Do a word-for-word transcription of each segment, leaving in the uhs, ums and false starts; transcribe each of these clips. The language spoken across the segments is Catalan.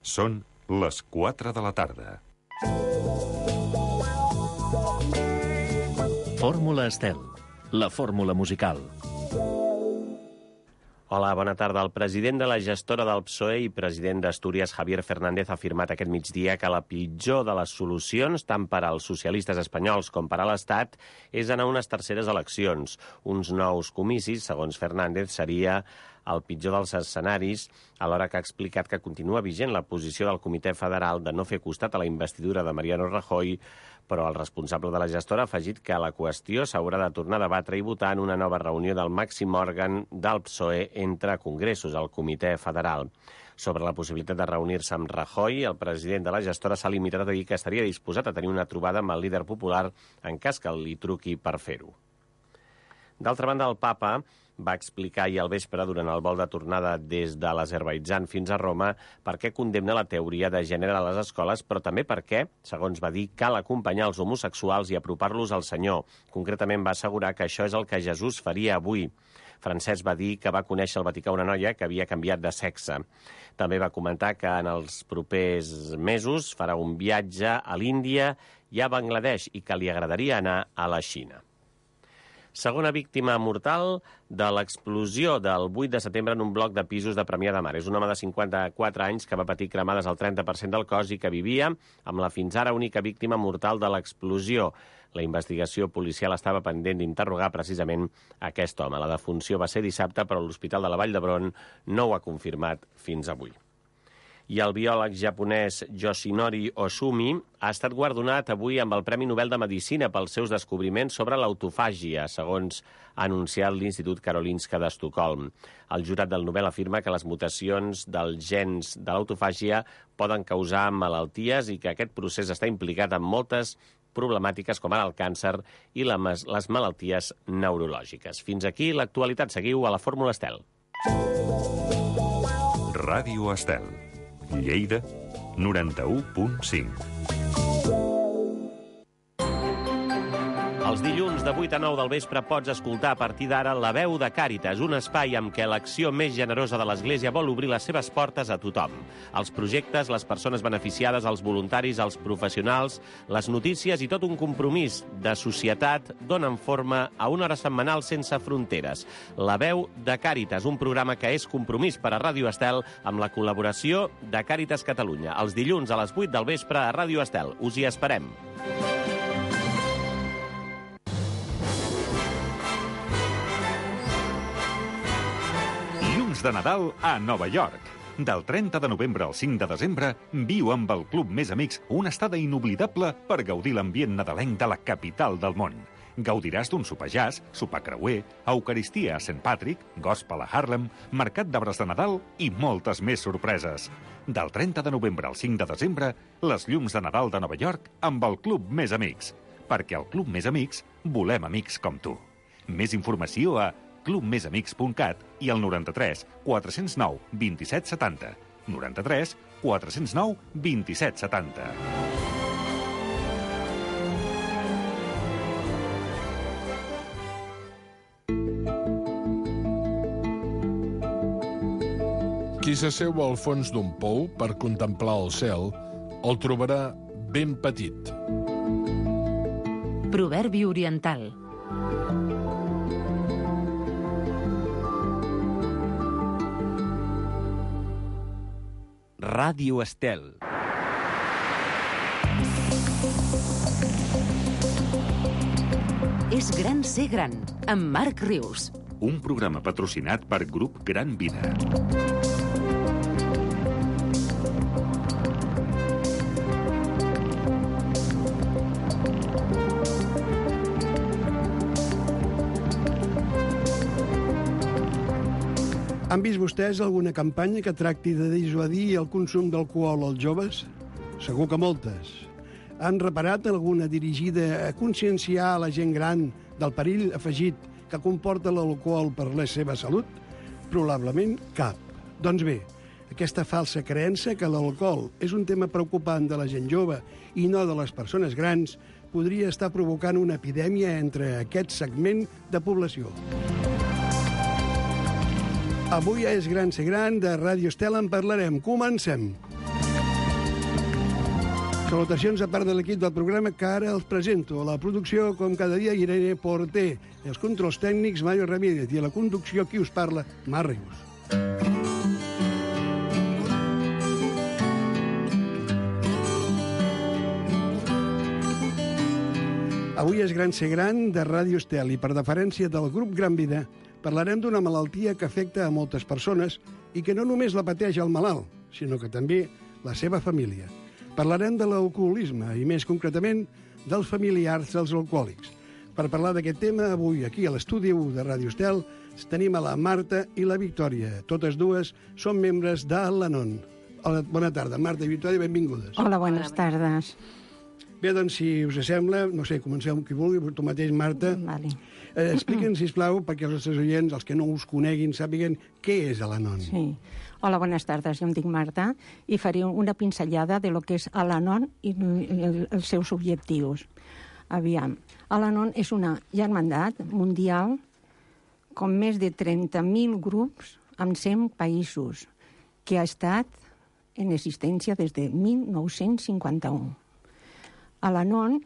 Són les quatre de la tarda. Fórmula Estel, la fórmula musical. Hola, bona tarda. El president de la gestora del P S O E i president d'Astúries, Javier Fernández, ha afirmat aquest migdia que la pitjor de les solucions, tant per als socialistes espanyols com per a l'Estat, és anar a unes terceres eleccions. Uns nous comicis, segons Fernández, seria el pitjor dels escenaris, alhora que ha explicat que continua vigent la posició del Comitè Federal de no fer costat a la investidura de Mariano Rajoy, però el responsable de la gestora ha afegit que la qüestió s'haurà de tornar a debatre i votar en una nova reunió del màxim òrgan del P S O E entre congressos, el Comitè Federal. Sobre la possibilitat de reunir-se amb Rajoy, el president de la gestora s'ha limitat a dir que estaria disposat a tenir una trobada amb el líder popular en cas que li truqui per fer-ho. D'altra banda, el papa va explicar ahir al vespre, durant el vol de tornada des de l'Azerbaidjan fins a Roma, per què condemna la teoria de gènere a les escoles, però també perquè, segons va dir, cal acompanyar els homosexuals i apropar-los al Senyor. Concretament va assegurar que això és el que Jesús faria avui. Francesc va dir que va conèixer al Vaticà una noia que havia canviat de sexe. També va comentar que en els propers mesos farà un viatge a l'Índia i a Bangladesh i que li agradaria anar a la Xina. Segona víctima mortal de l'explosió del vuit de setembre en un bloc de pisos de Premià de Mar. És un home de cinquanta-quatre anys que va patir cremades al trenta per cent del cos i que vivia amb la fins ara única víctima mortal de l'explosió. La investigació policial estava pendent d'interrogar precisament aquest home. La defunció va ser dissabte, però l'Hospital de la Vall d'Hebron no ho ha confirmat fins avui. I el biòleg japonès Yoshinori Ohsumi ha estat guardonat avui amb el Premi Nobel de Medicina pels seus descobriments sobre l'autofàgia, segons ha anunciat l'Institut Karolinska d'Estocolm. El jurat del Nobel afirma que les mutacions dels gens de l'autofàgia poden causar malalties i que aquest procés està implicat en moltes problemàtiques com ara el càncer i les malalties neurològiques. Fins aquí l'actualitat. Seguiu a la Fórmula Estel. Ràdio Estel. Lleida, noranta-u punt cinc. Els dilluns de vuit a nou del vespre pots escoltar a partir d'ara La Veu de Càritas, un espai amb què l'acció més generosa de l'Església vol obrir les seves portes a tothom. Els projectes, les persones beneficiades, els voluntaris, els professionals, les notícies i tot un compromís de societat donen forma a una hora setmanal sense fronteres. La Veu de Càritas, un programa que és compromís per a Ràdio Estel amb la col·laboració de Càritas Catalunya. Els dilluns a les vuit del vespre a Ràdio Estel. Us hi esperem. De Nadal a Nova York. Del trenta de novembre al cinc de desembre, viu amb el Club Més Amics una estada inoblidable per gaudir l'ambient nadalenc de la capital del món. Gaudiràs d'un sopar jazz, sopar creuer, eucaristia a Saint Patrick, gospel a Harlem, mercat d'arbres de Nadal i moltes més sorpreses. Del trenta de novembre al cinc de desembre, les llums de Nadal de Nova York amb el Club Més Amics. Perquè al Club Més Amics volem amics com tu. Més informació a club més amics punt cat i al noranta-tres quatre zero nou vint-i-set setanta. noranta-tres quatre zero nou vint-i-set setanta. Qui s'asseu al fons d'un pou per contemplar el cel el trobarà ben petit. Proverbi oriental. Ràdio Estel. És gran ser gran, amb Marc Rius. Un programa patrocinat per Grup Gran Vida. Han vist vostès alguna campanya que tracti de dissuadir el consum d'alcohol als joves? Segur que moltes. Han reparat alguna dirigida a conscienciar a la gent gran del perill afegit que comporta l'alcohol per la seva salut? Probablement cap. Doncs bé, aquesta falsa creença que l'alcohol és un tema preocupant de la gent jove i no de les persones grans podria estar provocant una epidèmia entre aquest segment de població. Avui és Gran Ser Gran, de Ràdio Estel en parlarem. Comencem. Salutacions a part de l'equip del programa que ara els presento. A la producció, com cada dia, Irene Porter. Els controls tècnics, Mario Ramírez. I a la conducció, qui us parla? Marc Rius. Avui és Gran Ser Gran de Ràdio Estel i, per deferència del grup Gran Vida, parlarem d'una malaltia que afecta a moltes persones i que no només la pateix el malalt, sinó que també la seva família. Parlarem de l'alcoholisme i, més concretament, dels familiars dels alcohòlics. Per parlar d'aquest tema, avui, aquí a l'estudi de Ràdio Estel, tenim a la Marta i la Victòria. Totes dues són membres de l'Anon. Hola, bona tarda, Marta i Victòria, benvingudes. Hola, buenas tardes. Bé, doncs, si us sembla, no sé, comenceu amb qui vulgui, tu mateix, Marta. Vale. Eh, Expliquen, sisplau, perquè els nostres oients, els que no us coneguin, sàpiguen què és l'Anon. Sí. Hola, buenas tardes. Jo em dic Marta i faré una pinzellada de lo que és l'Anon i els seus objectius. Aviam, l'Anon és una germandat mundial con més de trenta mil grups en cent països que ha estat en existència des de mil nou-cents cinquanta-u. L'Anon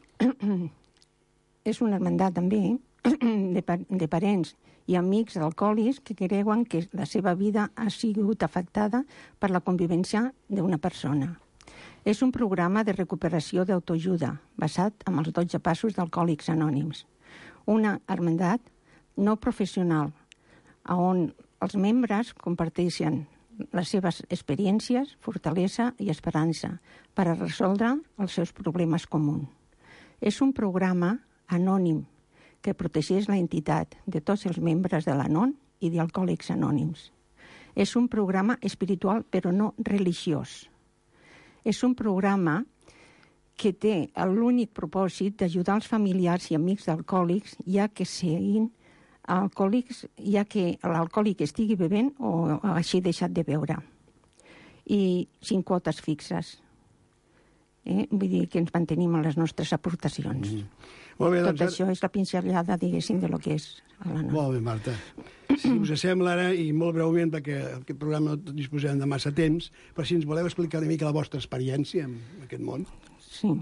és una hermandat també de, pa de parents i amics d'alcohòlics que creuen que la seva vida ha sigut afectada per la convivència d'una persona. És un programa de recuperació d'autoajuda basat en els dotze passos d'Alcohòlics Anònims. Una hermandat no professional on els membres comparteixen les seves experiències, fortalesa i esperança per a resoldre els seus problemes comuns. És un programa anònim que protegeix la entitat de tots els membres de l'Anon i d'Alcohòlics Anònims. És un programa espiritual però no religiós. És un programa que té l'únic propòsit d'ajudar els familiars i amics d'alcohòlics ja que siguin alcohòlics, ja que l'alcohòlic estigui bevent o hagi deixat de beure. I sin quotes fixes. Eh? Vull dir que ens mantenim a les nostres aportacions. Mm. Molt bé, doncs, Tot això és la pinzellada, diguéssim, de lo que és l'Anon. Molt bé, Marta. Si us sembla ara, i molt breument, perquè aquest programa no disposem de massa temps, però si ens voleu explicar una mica la vostra experiència en aquest món. Sí.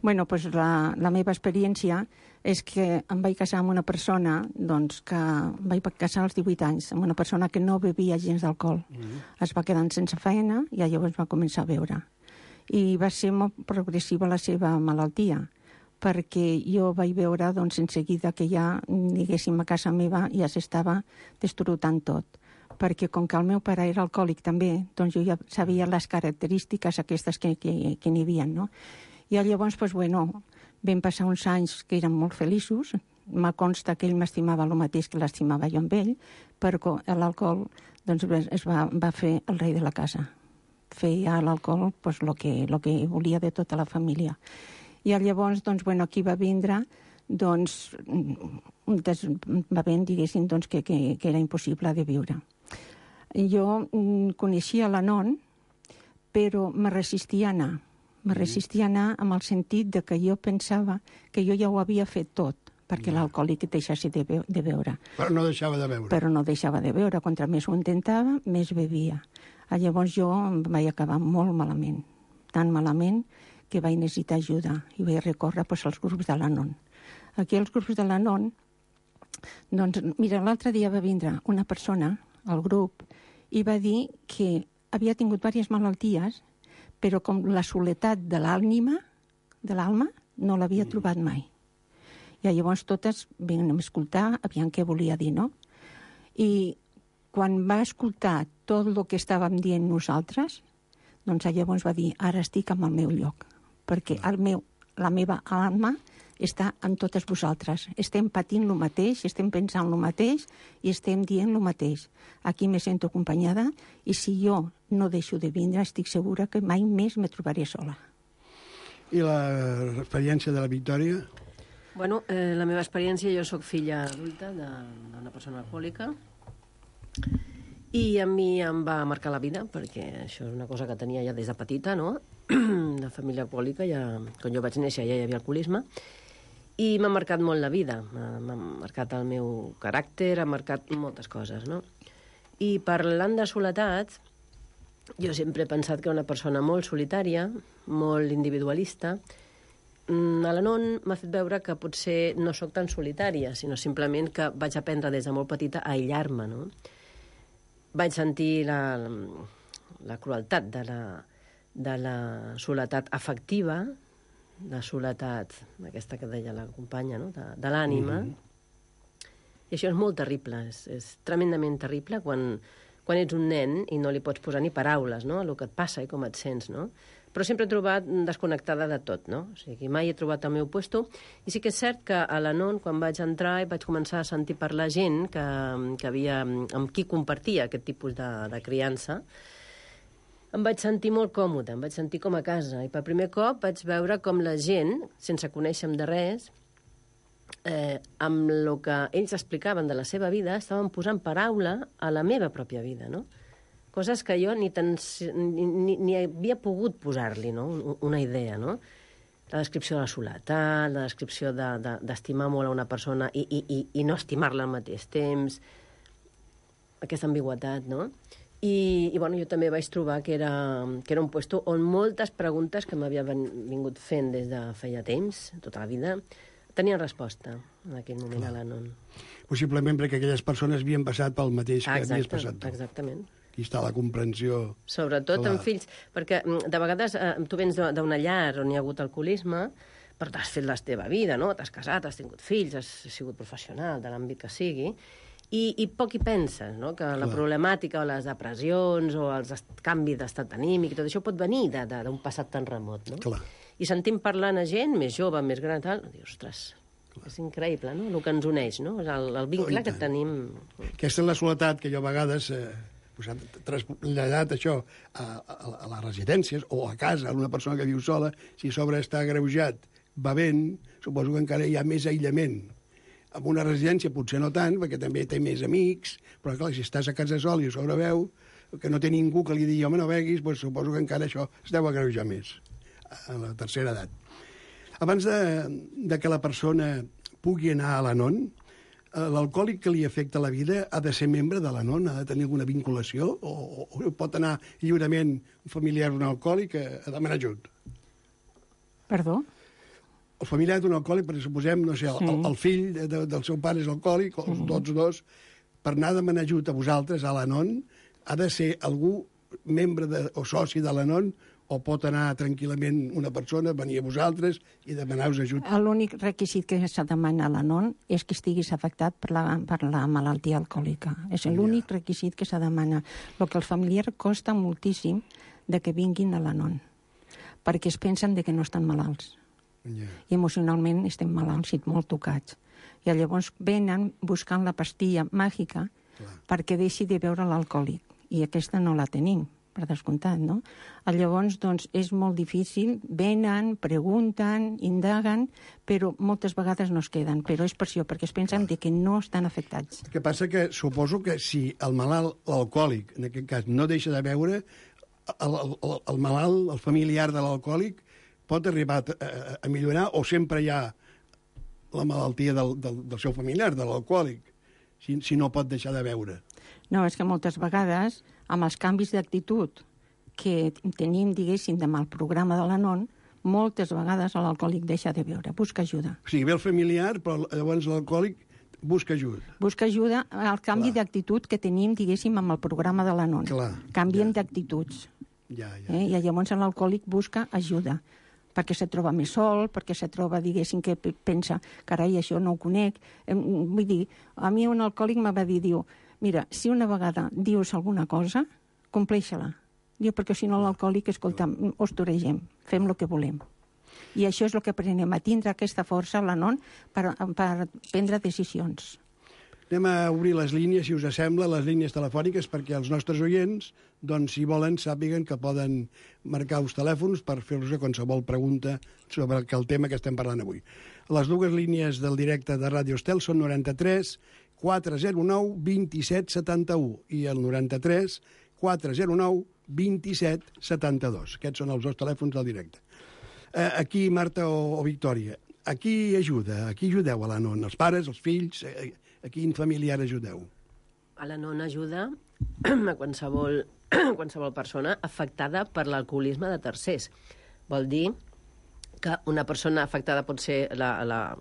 Bueno, pues la, la meva experiència és que em vaig casar amb una persona, doncs, que em vaig casar als divuit anys, amb una persona que no bevia gens d'alcohol. Mm. Es va quedar sense feina i llavors va començar a beure. I va ser molt progressiva la seva malaltia, perquè jo vaig veure, doncs, en seguida que ja, diguéssim, a casa meva ja s'estava destrutant tot. Perquè com que el meu pare era alcohòlic també, doncs jo ja sabia les característiques aquestes que, que, que n'hi havia, no? I llavors, doncs, bueno, vam passar uns anys que eren molt feliços. Me consta que ell m'estimava el mateix que l'estimava jo amb ell, però l'alcohol doncs, es va, va fer el rei de la casa. Feia l'alcohol pues, lo que, lo que volia de tota la família. I llavors, doncs, bueno, aquí va vindre, doncs, des, va venir, diguéssim, doncs, que, que, que era impossible de viure. Jo coneixia l'Anon, però me resistia a anar. Me resistia a anar amb el sentit de que jo pensava que jo ja ho havia fet tot perquè no. l'alcohòlic deixassi de, be de beure. Però no deixava de beure. Però no deixava de beure. Contra més ho intentava, més bevia. Llavors jo em vaig acabar molt malament. Tan malament que vaig necessitar ajuda i vaig recórrer pues, als grups de l'Anon. Aquí als grups de l'Anon, doncs, mira, l'altre dia va vindre una persona al grup i va dir que havia tingut diverses malalties, però com la soledat de l'ànima, de l'alma, no l'havia trobat mai. I llavors totes vam escoltar, aviam què volia dir, no? I quan va escoltar tot el que estàvem dient nosaltres, doncs llavors va dir, ara estic en el meu lloc, perquè el meu, la meva alma està en totes vosaltres. Estem patint el mateix, estem pensant el mateix i estem dient el mateix. Aquí me sento acompanyada i si jo no deixo de vindre, estic segura que mai més me trobaré sola. I l'experiència de la Victòria? Bueno, eh, la meva experiència, jo sóc filla adulta d'una persona alcohòlica i a mi em va marcar la vida, perquè això és una cosa que tenia ja des de petita, no? De família alcohòlica, ja, quan jo vaig néixer ja hi havia alcoholisme, i m'ha marcat molt la vida, m'ha marcat el meu caràcter, ha marcat moltes coses, no? I parlant de soledat, Jo sempre he pensat que era una persona molt solitària, molt individualista. A l'Anon m'ha fet veure que potser no sóc tan solitària, sinó simplement que vaig aprendre des de molt petita a aïllar-me, no? Vaig sentir la, la crueltat de la, de la soledat afectiva, la soledat, aquesta que deia la companya, no? de, de l'ànima. Mm-hmm. I això és molt terrible, és, és tremendament terrible quan... quan ets un nen i no li pots posar ni paraules, no?, a el que et passa i com et sents, no? Però sempre he trobat desconnectada de tot, no? O sigui, mai he trobat el meu puesto. I sí que és cert que a l'Anon, quan vaig entrar i vaig començar a sentir parlar gent que, que havia, amb qui compartia aquest tipus de, de criança, em vaig sentir molt còmode, em vaig sentir com a casa. I per primer cop vaig veure com la gent, sense conèixer-me de res, Eh, amb el que ells explicaven de la seva vida, estaven posant paraula a la meva pròpia vida, no? Coses que jo ni, tan, ni, ni, ni havia pogut posar-li, no?, una idea, no? La descripció de la soledat, la descripció d'estimar de, de, molt a una persona i, i, i, i no estimar-la al mateix temps, aquesta ambigüetat, no? I, i bueno, jo també vaig trobar que era, que era un puesto on moltes preguntes que m'havia vingut fent des de feia temps, tota la vida, tenien resposta en aquell moment. Clar. A l'Anon. Possiblement perquè aquelles persones havien passat pel mateix que Exacte, havies passat tu. Exactament. Aquí està la comprensió. Sobretot clar. En fills, perquè de vegades eh, tu vens d'una llar on hi ha hagut alcoholisme, però t'has fet la teva vida, no? T'has casat, has tingut fills, has sigut professional de l'àmbit que sigui, i, i poc hi penses, no?, que clar. La problemàtica o les depressions o els canvis d'estat anímic, tot això pot venir d'un passat tan remot, no? Clar. I sentim parlant a gent més jove, més gran, tal, i dius, ostres, clar. És increïble, no?, el que ens uneix, no?, el, el vincle oh, que tenim. Aquesta és la soledat que jo a vegades eh, posat, traslladat això a, a, a les residències o a casa, a una persona que viu sola, si a sobre està agreujat, bevent, suposo que encara hi ha més aïllament. En una residència potser no tant, perquè també té més amics, però clar, si estàs a casa sol i a sobre veu, que no té ningú que li digui, home, no beguis, doncs suposo que encara això es deu agreujar més a la tercera edat. Abans de, de que la persona pugui anar a l'Anon, l'alcohòlic que li afecta la vida ha de ser membre de l'Anon, ha de tenir alguna vinculació, o, o, o pot anar lliurement un familiar d'un alcohòlic a, a demanar ajut? Perdó? El familiar d'un alcohòlic, perquè suposem, no sé, el, sí. el, el fill de, del seu pare és alcohòlic, o mm. tots dos, per anar a demanar ajut a vosaltres, a l'Anon, ha de ser algú membre de, o soci de l'Anon, o pot anar tranquil·lament una persona, venir a vosaltres i demanar-vos ajut? L'únic requisit que s'ha de demanar a l'Anon és que estiguis afectat per la, per la malaltia alcohòlica. És l'únic ja. requisit que s'ha de demanar. El que als familiars costa moltíssim de que vinguin a l'Anon, perquè es pensen de que no estan malalts. Ja. I emocionalment estem malalts i molt tocats. I llavors venen buscant la pastilla màgica Clar. Perquè deixi de veure l'alcohòlic. I aquesta no la tenim, per descomptat, no? Llavors, doncs, és molt difícil, venen, pregunten, indaguen, però moltes vegades no es queden. Però és per això, perquè es pensen de que no estan afectats. El que passa que suposo que si el malalt, l'alcohòlic, en aquest cas, no deixa de beure, el, el, el malalt, el familiar de l'alcohòlic, pot arribar a, a millorar o sempre hi ha la malaltia del, del, del seu familiar, de l'alcohòlic, si, si no pot deixar de beure. No, és que moltes vegades, amb els canvis d'actitud que tenim, diguéssim, amb el programa de l'Anon, moltes vegades l'alcohòlic deixa de beure, busca ajuda. O sigui, ve el familiar, però llavors l'alcohòlic busca ajuda. Busca ajuda al canvi d'actitud que tenim, diguéssim, amb el programa de l'Anon. Canviem ja. d'actituds. Ja, ja, eh? ja. I llavors l'alcohòlic busca ajuda, perquè se troba més sol, perquè se troba, diguéssim, que pensa, carai, això no ho conec. Vull dir, a mi un alcohòlic me va dir, diu, mira, si una vegada dius alguna cosa, compleix-la. Diu, perquè si no l'alcohòlic, escolta, us toregem, fem el que volem. I això és el que aprenem, a tindre aquesta força a l'Anon per, per prendre decisions. Anem a obrir les línies, si us sembla, les línies telefòniques, perquè els nostres oients, doncs, si volen, sàpiguen que poden marcar els telèfons per fer-vos qualsevol pregunta sobre el tema que estem parlant avui. Les dues línies del directe de Ràdio Estel són noranta-tres quatre zero nou vint-i-set setanta-u i el noranta-tres quatre zero nou vint-i-set setanta-dos. Aquests són els dos telèfons del directe. Eh, aquí, Marta o, o Victòria, a qui ajuda? A qui ajudeu a l'Anon? Els pares, els fills? A, a quin familiar ajudeu? Al-Anon ajuda a qualsevol, qualsevol persona afectada per l'alcoholisme de tercers. Vol dir que una persona afectada pot ser la, la,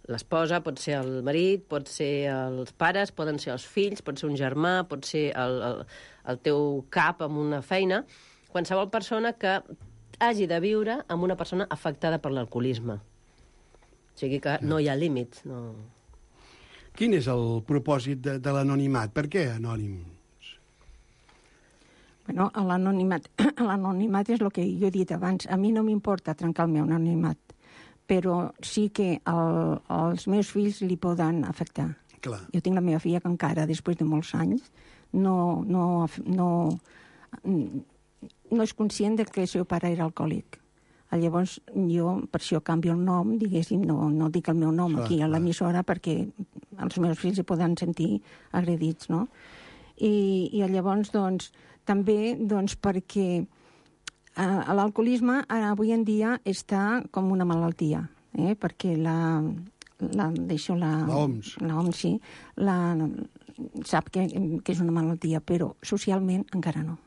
l'esposa, pot ser el marit, pot ser els pares, poden ser els fills, pot ser un germà, pot ser el, el, el teu cap amb una feina, qualsevol persona que hagi de viure amb una persona afectada per l'alcoholisme. O sigui que no hi ha límits, no... Quin és el propòsit de, de l'anonimat? Per què anònims? Bueno, l'anonimat, l'anonimat és el que jo he dit abans. A mi no m'importa trencar el meu anonimat, però sí que el, els meus fills li poden afectar. Clar. Jo tinc la meva filla que encara, després de molts anys, no, no, no, no és conscient de que el seu pare era alcohòlic. Llavors, jo, per això canvio el nom, diguéssim, no, no dic el meu nom clar, aquí a l'emissora perquè els meus fills hi poden sentir agredits, no? I, i llavors, doncs, també doncs, perquè eh, l'alcoholisme avui en dia està com una malaltia, eh? Perquè la, la, deixo la... La O M S. La O M S, sí, la, sap que, que és una malaltia, però socialment encara no.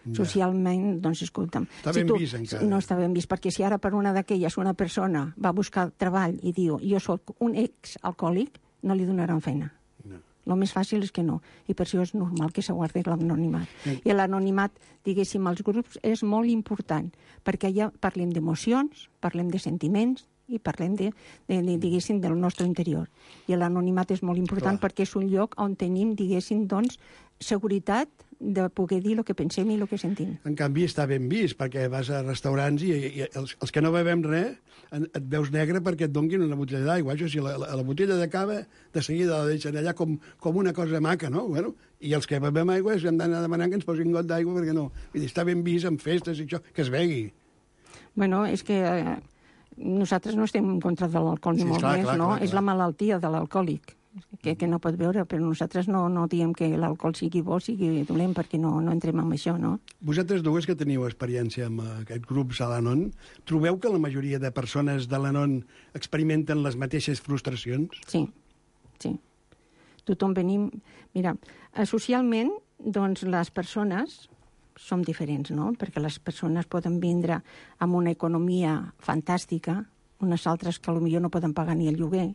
Ja. Socialment, doncs, escolta'm... Està si ben tu, vist, encara. No està ben vist, perquè si ara per una d'aquelles una persona va buscar treball i diu jo sóc un ex-alcohòlic, no li donaran feina. No. El més fàcil és que no, i per això és normal que s'aguardi l'anonimat. Sí. I l'anonimat, diguéssim, als grups és molt important, perquè allà parlem d'emocions, parlem de sentiments, i parlem, de, de, de, diguéssim, del nostre interior. I l'anonimat és molt important Clar. Perquè és un lloc on tenim, diguéssim, doncs, seguretat de poder dir el que pensem i el que sentim. En canvi, està ben vist, perquè vas a restaurants i, i els, els que no bevem res et veus negre perquè et donguin una botella d'aigua. Això sí, la, la, la botella de cava de seguida la deixen allà com, com una cosa maca, no? Bueno, i els que bevem aigua hem d'anar demanant que ens posin got d'aigua perquè no. Vull dir, està ben vist en festes i això, que es begui. Bueno, és que eh, nosaltres no estem en contra de l'alcohol ni sí, molt clar, més, clar, no? Clar, és clar. la malaltia de l'alcohòlic. Que, que no pot veure, però nosaltres no, no diem que l'alcohol sigui bo, sigui dolent, perquè no, no entrem en això, no? Vosaltres dues que teniu experiència amb aquests grups a l'Anon, trobeu que la majoria de persones de l'Anon experimenten les mateixes frustracions? Sí, sí. Tothom venim... Mira, socialment, doncs, les persones som diferents, no? Perquè les persones poden vindre amb una economia fantàstica, unes altres que potser no poden pagar ni el lloguer,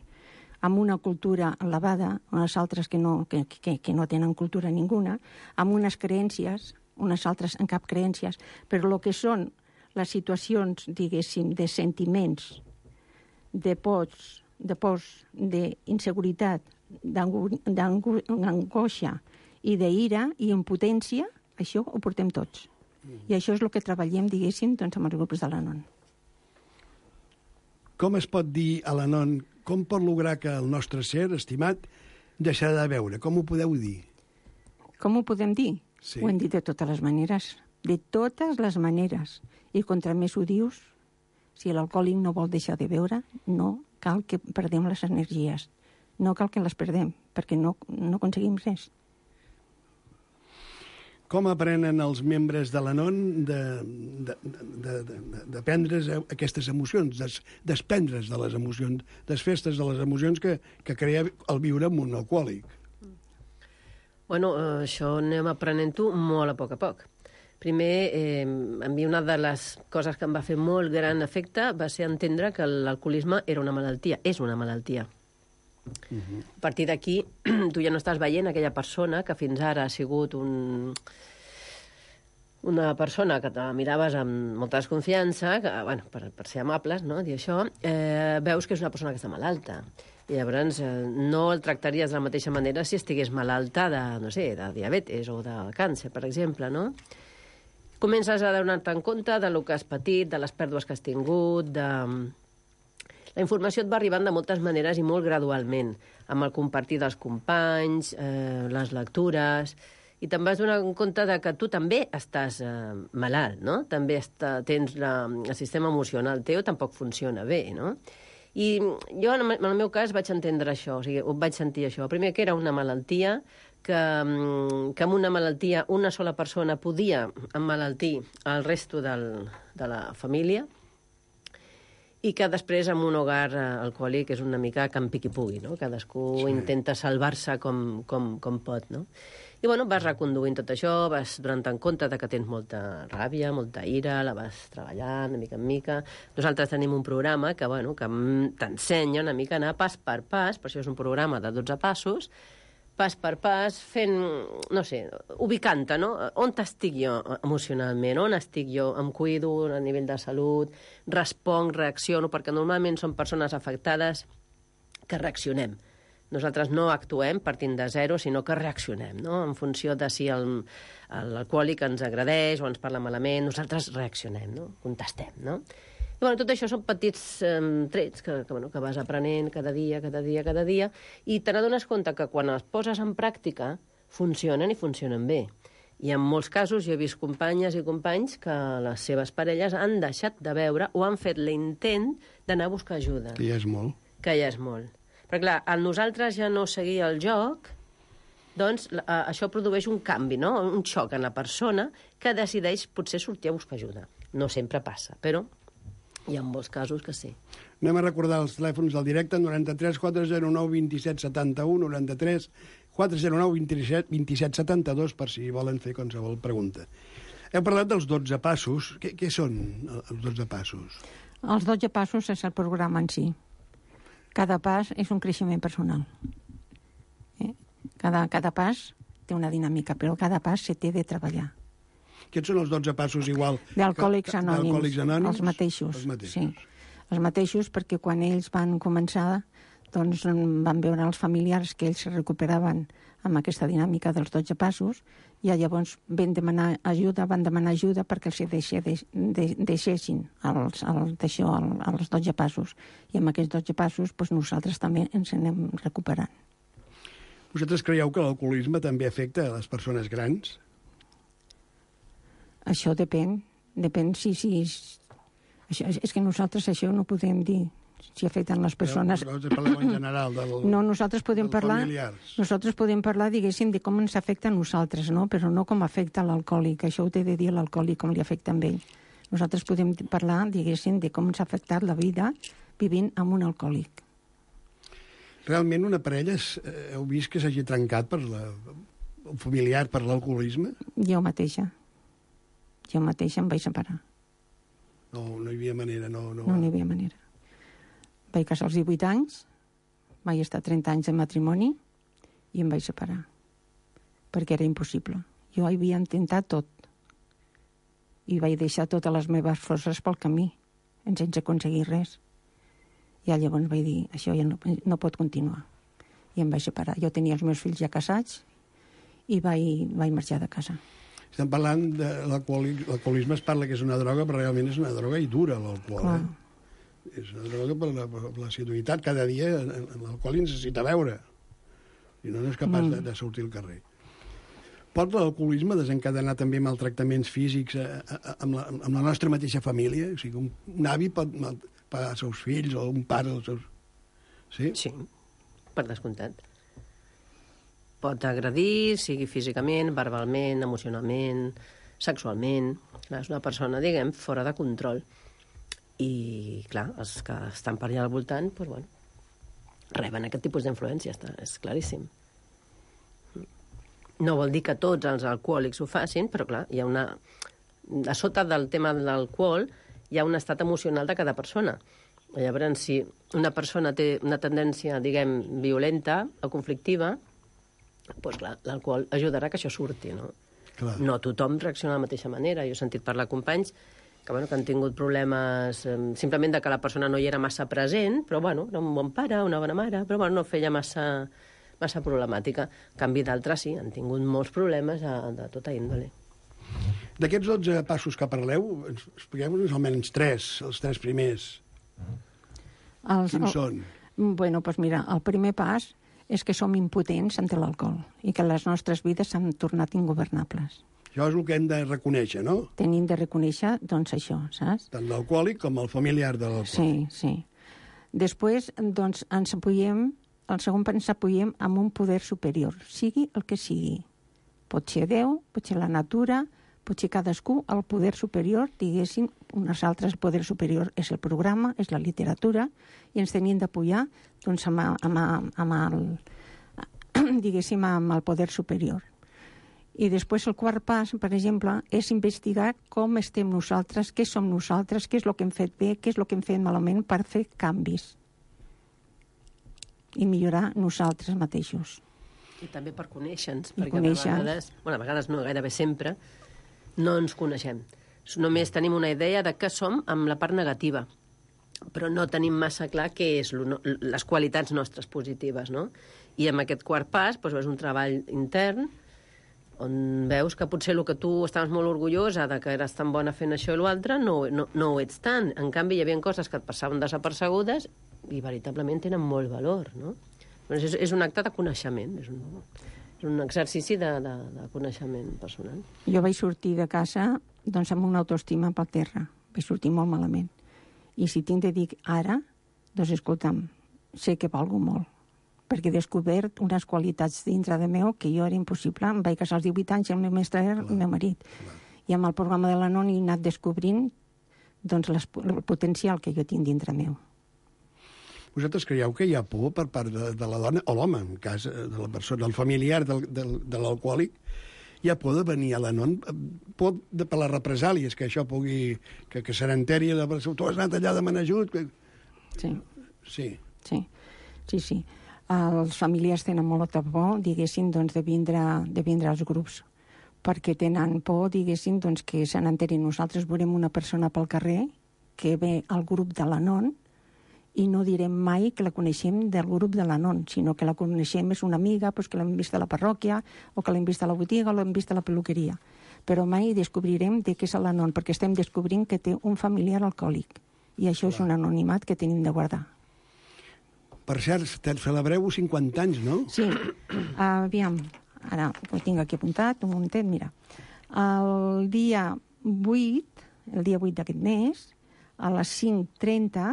amb una cultura elevada, unes altres que no, que, que, que no tenen cultura ninguna, amb unes creències, unes altres en cap creències, però el que són les situacions, diguéssim, de sentiments, de pors, de pors, d'inseguretat, d'angoixa i d'ira i impotència, això ho portem tots. Mm. I això és el que treballem, diguéssim, doncs, amb els grups de l'Anon. Com es pot dir a l'Anon, com pot lograr que el nostre ser, estimat, deixarà de beure? Com ho podeu dir? Com ho podem dir? Sí. Ho hem dit de totes les maneres. De totes les maneres. I contra més ho dius, si l'alcohòlic no vol deixar de beure, no cal que perdem les energies. No cal que les perdem, perquè no, no aconseguim res. Com aprenen els membres de l'Anon de, de, de, de, de prendre aquestes emocions, des, desprendre's de les emocions, desfestes de les emocions que, que crea el viure amb un alcohòlic? Bueno, això anem aprenent-ho molt a poc a poc. Primer, eh, a mi una de les coses que em va fer molt gran efecte va ser entendre que l'alcoholisme era una malaltia, és una malaltia. Uh-huh. A partir d'aquí, tu ja no estàs veient aquella persona que fins ara ha sigut un... una persona que te miraves amb molta desconfiança, que, bueno, per, per ser amables, no?, dir això, eh, veus que és una persona que està malalta. I llavors eh, no el tractaries de la mateixa manera si estigués malalta de, no sé, de diabetes o de càncer, per exemple, no? Comences a donar-te en compte de lo que has patit, de les pèrdues que has tingut, de... La informació et va arribant de moltes maneres i molt gradualment, amb el compartir dels companys, eh, les lectures, i te'n vas donar compte de que tu també estàs eh, malalt, no? També està, tens la, el sistema emocional teu tampoc funciona bé, no? I jo, en el meu cas, vaig entendre això, o sigui, ho vaig sentir això. Primer, que era una malaltia, que, que amb una malaltia una sola persona podia emmalaltir el resto del, de la família, i que després en un hogar alcohòlic és una mica campi qui pugui, no? Cadascú sí. intenta salvar-se com, com, com pot, no? I, bueno, vas reconduint tot això, vas donant en compte de que tens molta ràbia, molta ira, la vas treballant de mica en mica. Nosaltres tenim un programa que, bueno, que t'ensenya una mica a anar pas per pas, per això és un programa de dotze passos, pas per pas, fent, no sé, ubicant-te, no? On estic jo emocionalment? On estic jo? Em cuido a nivell de salut? Responc, reacciono? Perquè normalment són persones afectades que reaccionem. Nosaltres no actuem partint de zero, sinó que reaccionem, no? En funció de si l'alcohòlic ens agredeix o ens parla malament, nosaltres reaccionem, no? Contestem, no? I, bueno, tot això són petits eh, trets que, que, bueno, que vas aprenent cada dia, cada dia, cada dia, i te n'adones compte que quan els poses en pràctica funcionen i funcionen bé. I en molts casos jo he vist companyes i companys que les seves parelles han deixat de veure o han fet l'intent d'anar a buscar ajuda. Que ja és molt. Que ja és molt. Però, clar, al nosaltres ja no seguir el joc, doncs eh, això produeix un canvi, no? Un xoc en la persona que decideix potser sortir a buscar ajuda. No sempre passa, però hi ha molts casos que sí. Anem a recordar els telèfons del directe, noranta-tres quatre zero nou vint set setanta-u, noranta-tres quatre zero nou vint set setanta-dos, per si volen fer qualsevol pregunta. Heu parlat dels dotze passos. Què, què són els dotze passos? Els dotze passos és el programa en si. Cada pas és un creixement personal. Eh? Cada, cada pas té una dinàmica, però cada pas se té de treballar. Aquests són els dotze passos igual... D'Alcohòlics Anònims. D'Alcohòlics Anònims. Els mateixos. Els mateixos. Sí. Els mateixos, perquè quan ells van començar, doncs van veure els familiars que ells se recuperaven amb aquesta dinàmica dels dotze passos, i llavors van demanar ajuda, van demanar ajuda perquè els deixe, de, de, deixessin els, el, això, el, els dotze passos. I amb aquests dotze passos doncs nosaltres també ens anem recuperant. Vosaltres creieu que l'alcoholisme també afecta a les persones grans? Això depèn, depèn si... si això, és que nosaltres això no podem dir si afecten les persones. Però parleu en general del, no, nosaltres podem parlar, familiars. Nosaltres podem parlar, diguéssim, de com ens afecta a nosaltres, no? Però no com afecta l'alcohòlic. Això ho té de dir l'alcohòlic, com li afecta a ell. Nosaltres podem parlar, diguéssim, de com ens ha afectat la vida vivint amb un alcohòlic. Realment una parella eh, heu vist que s'hagi trencat per la, un familiar per l'alcoholisme? Jo mateixa. Jo mateixa em vaig separar. No, no hi havia manera, no... No, no hi havia manera. Vaig casar als divuit anys, vaig estar trenta anys de matrimoni i em vaig separar. Perquè era impossible. Jo havia intentat tot. I vaig deixar totes les meves forces pel camí, sense aconseguir res. I llavors vaig dir, això ja no, no pot continuar. I em vaig separar. Jo tenia els meus fills ja casats i vaig, vaig marxar de casa. Estem parlant de l'alcoholisme, es parla que és una droga, però realment és una droga i dura, l'alcohol. Eh? És una droga per la, per la assiduïtat. Cada dia l'alcohol necessita beure. I no és capaç mm. de, de sortir al carrer. Pot l'alcoholisme desencadenar també maltractaments físics a, a, a, amb, la, amb la nostra mateixa família? O sigui, un, un avi pot malpagar els seus fills o un pare els seus... Sí? Sí, per descomptat. Pot agredir, sigui físicament, verbalment, emocionalment, sexualment. Clar, és una persona, diguem, fora de control. I, clar, els que estan per allà al voltant, doncs, bueno, reben aquest tipus d'influència, és claríssim. No vol dir que tots els alcohòlics ho facin, però, clar, hi ha una... A sota del tema de l'alcohol hi ha un estat emocional de cada persona. Llavors, si una persona té una tendència, diguem, violenta o conflictiva, doncs clar, l'alcohol ajudarà que això surti, no? Clar. No tothom reacciona de la mateixa manera. Jo he sentit parlar companys que, bueno, que han tingut problemes eh, simplement de que la persona no hi era massa present, però bueno, era un bon pare, una bona mare, però bueno, no feia massa, massa problemàtica. En canvi, d'altres sí, han tingut molts problemes de, de tota índole. D'aquests dotze passos que parleu, expliqueu-nos almenys tres, els tres primers. Els, Quins el, són? Bueno, doncs mira, el primer pas és que som impotents ante l'alcohol i que les nostres vides s'han tornat ingovernables. Això és el que hem de reconèixer, no? Tenim de reconèixer, doncs, això, saps? Tant l'alcohòlic com el familiar de l'alcohòlic. Sí, sí. Després, doncs, ens apoyem, el segon pas ens apoyem amb un poder superior, sigui el que sigui. Pot ser Déu, pot ser la natura, pot ser cadascú, el poder superior, diguéssim, Unes altres, el poder superior és el programa, és la literatura, i ens tenien d'apoyar doncs, amb, amb, amb el, diguéssim, amb el poder superior. I després el quart pas, per exemple, és investigar com estem nosaltres, què som nosaltres, què és el que hem fet bé, què és el que hem fet malament per fer canvis i millorar nosaltres mateixos. I també per conèixer-nos, I perquè conèixer. a vegades, bueno, a vegades no, gairebé sempre, no ens coneixem. Només tenim una idea de què som amb la part negativa, però no tenim massa clar què és lo, les qualitats nostres positives, no? I amb aquest quart pas doncs, és un treball intern on veus que potser el que tu estaves molt orgullosa de que eres tan bona fent això i l'altre, no, no, no ho ets tant. En canvi, hi havia coses que et passaven desapercebudes i veritablement tenen molt valor, no? Doncs és, és un acte de coneixement, és un, és un exercici de, de, de coneixement personal. Jo vaig sortir de casa doncs, amb una autoestima per terra. Vaig sortir molt malament. I si tinc de dir ara, doncs escolta'm, sé que valgo molt, perquè he descobert unes qualitats dintre de meu que jo era impossible. Em vaig casar als divuit anys i el meu mestre era el meu marit. Clar. I amb el programa de l'Anon he anat descobrint doncs, les, el potencial que jo tinc dintre meu. Vosaltres creieu que hi ha por per part de, de la dona, o l'home, en cas de la persona, el familiar del, del, de l'alcohòlic, hi ha por de venir a l'Anon, por de, per les represàlies, que això pugui... que, que se n'enteri la persona, tu has anat allà a demanar ajut... Que... Sí. Sí. Sí, sí, sí. Els familiars tenen molta por, diguéssim, doncs, de vindre, de vindre als grups, perquè tenen por, diguéssim, doncs, que se n'enterin. Nosaltres veurem una persona pel carrer que ve al grup de l'Anon i no direm mai que la coneixem del grup de l'Anon, sinó que la coneixem és una amiga, doncs, que l'hem vist a la parròquia, o que l'hem vist a la botiga, o l'hem vist a la peluqueria. Però mai descobrirem de què és l'Anon, perquè estem descobrint que té un familiar alcohòlic. I això Clar. És un anonimat que tenim de guardar. Per cert, celebreu cinquanta anys, no? Sí. Aviam, ara ho tinc aquí apuntat, un momentet, mira. El dia vuit, el dia vuit d'aquest mes, a les cinc trenta,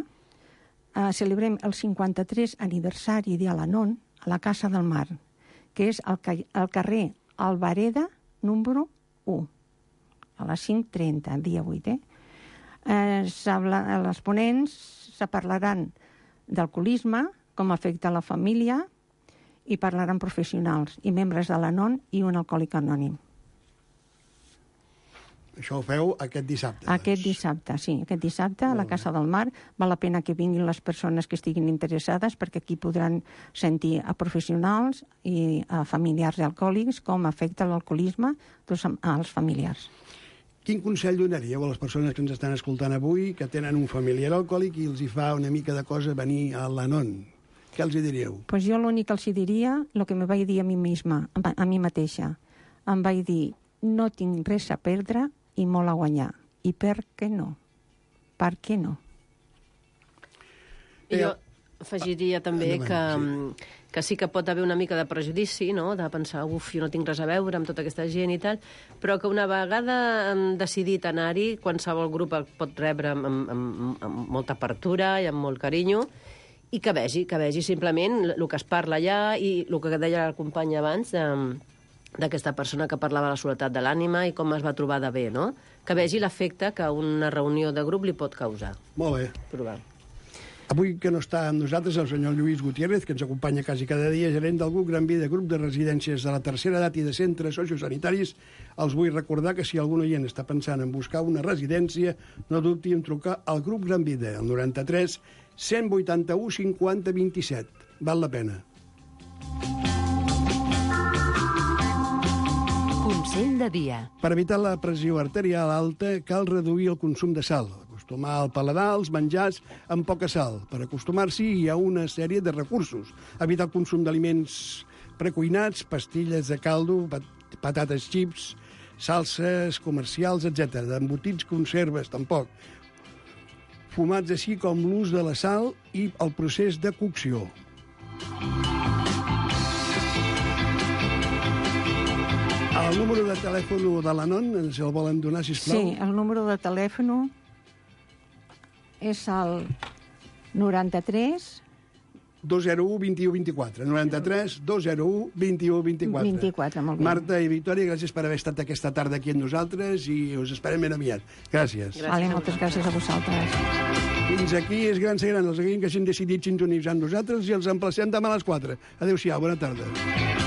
eh, celebrem el cinquanta-tres aniversari de l'Anon a la Casa del Mar, que és al, al carrer Albareda, número u, a les cinc trenta, el dia vuit, eh? eh les ponents se parlaran d'alcoholisme, com afecta la família, i parlaran professionals i membres de l'Anon i un alcohòlic anònim. Això ho feu aquest dissabte? Aquest dissabte, sí. Aquest dissabte a la Casa del Mar. Val la pena que vinguin les persones que estiguin interessades, perquè aquí podran sentir a professionals i a familiars alcohòlics com afecta l'alcoholisme doncs, als familiars. Quin consell donaríeu a les persones que ens estan escoltant avui, que tenen un familiar alcohòlic i els hi fa una mica de cosa venir a l'Anon? Què els hi diríeu? Pues jo l'únic que els hi diria, el que me vaig dir a mi misma, a mi mateixa. Em vaig dir, no tinc res a perdre i molt a guanyar. I per què no? Per què no? I jo afegiria també endavant, que, sí. que sí que pot haver una mica de prejudici, no? De pensar, uf, jo no tinc res a veure amb tota aquesta gent i tal, però que una vegada han decidit anar-hi, qualsevol grup el pot rebre amb, amb, amb, amb molta apertura i amb molt carinyo, i que vegi, que vegi simplement el que es parla allà i el que deia la companya abans d'aquesta persona que parlava de la soledat de l'ànima i com es va trobar de bé, no? Que vegi l'efecte que una reunió de grup li pot causar. Molt bé. Provar. Avui que no està amb nosaltres el senyor Lluís Gutiérrez, que ens acompanya quasi cada dia, gerent del grup Gran Vida, grup de residències de la tercera edat i de centres sociosanitaris, els vull recordar que si algun oient està pensant en buscar una residència, no dubti en trucar al grup Gran Vida, al noranta-tres cent vuitanta-u cinquanta vint-i-set. Val la pena. Consell de dia. Per evitar la pressió arterial alta, cal reduir el consum de sal. Acostumar al paladar els menjars amb poca sal. Per acostumar-s'hi hi ha una sèrie de recursos. Evitar el consum d'aliments precuinats, pastilles de caldo, pat patates xips, salses comercials, etcètera. D'embotits, conserves, tampoc. Fumats així com l'ús de la sal i el procés de cocció. El número de telèfon de l'Anon ens el volen donar, sisplau? Sí, el número de telèfon és el noranta-tres dos zero u, vint u, vint-i-quatre. noranta-tres, dos zero u, vint u, vint-i-quatre. vint-i-quatre, molt bé. Marta i Victòria, gràcies per haver estat aquesta tarda aquí amb nosaltres i us esperem ben aviat. Gràcies. Gràcies Vale, a moltes gràcies a vosaltres. Fins aquí és Gran Ser Gran, els que hagin decidit sintonitzar amb nosaltres i els emplacem demà a les quatre. Adéu-siau, bona tarda.